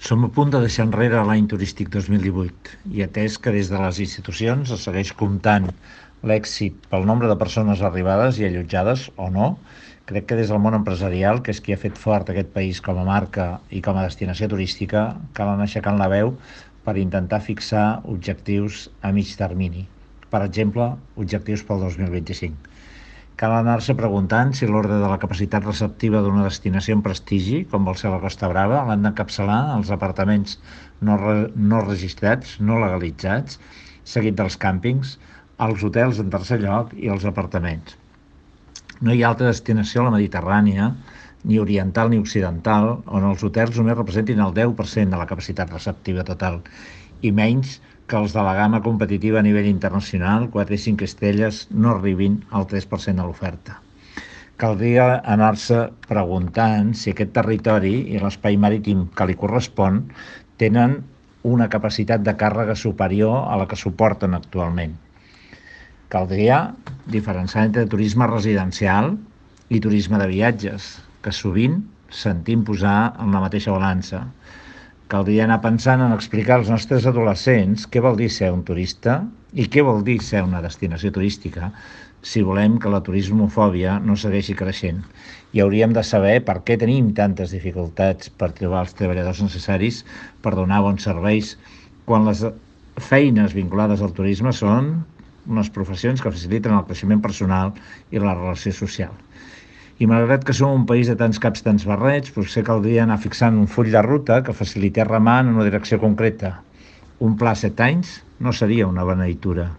Som a punt de deixar enrere l'any turístic 2018 i atès que des de les institucions es segueix comptant l'èxit pel nombre de persones arribades i allotjades o no, crec que des del món empresarial, que és qui ha fet fort aquest país com a marca i com a destinació turística, cal anar aixecant la veu per intentar fixar objectius a mig termini. Per exemple, objectius pel 2025. Cal anar-se preguntant si l'ordre de la capacitat receptiva d'una destinació en prestigi, com vol ser la Costa Brava, l'han d'encapçalar els apartaments no registrats, no legalitzats, seguit dels càmpings, els hotels en tercer lloc i els apartaments. No hi ha altra destinació a la Mediterrània, ni oriental ni occidental, on els hotels només representin el 10% de la capacitat receptiva total, i menys que els de la gamma competitiva a nivell internacional, 4 i 5 estrelles, no arribin al 3% de l'oferta. Caldria anar-se preguntant si aquest territori i l'espai marítim que li correspon tenen una capacitat de càrrega superior a la que suporten actualment. Caldria diferenciar entre turisme residencial i turisme de viatges, que sovint sentim posar en la mateixa balança. Caldria anar pensant en explicar als nostres adolescents què vol dir ser un turista i què vol dir ser una destinació turística si volem que la turismofòbia no segueixi creixent. I hauríem de saber per què tenim tantes dificultats per trobar els treballadors necessaris per donar bons serveis quan les feines vinculades al turisme són unes professions que faciliten el creixement personal i la relació social. I malgrat que som un país de tants caps, tants barrets, potser caldria anar fixant un full de ruta que facilités remar en una direcció concreta. Un pla a 7 anys no seria una beneïtura.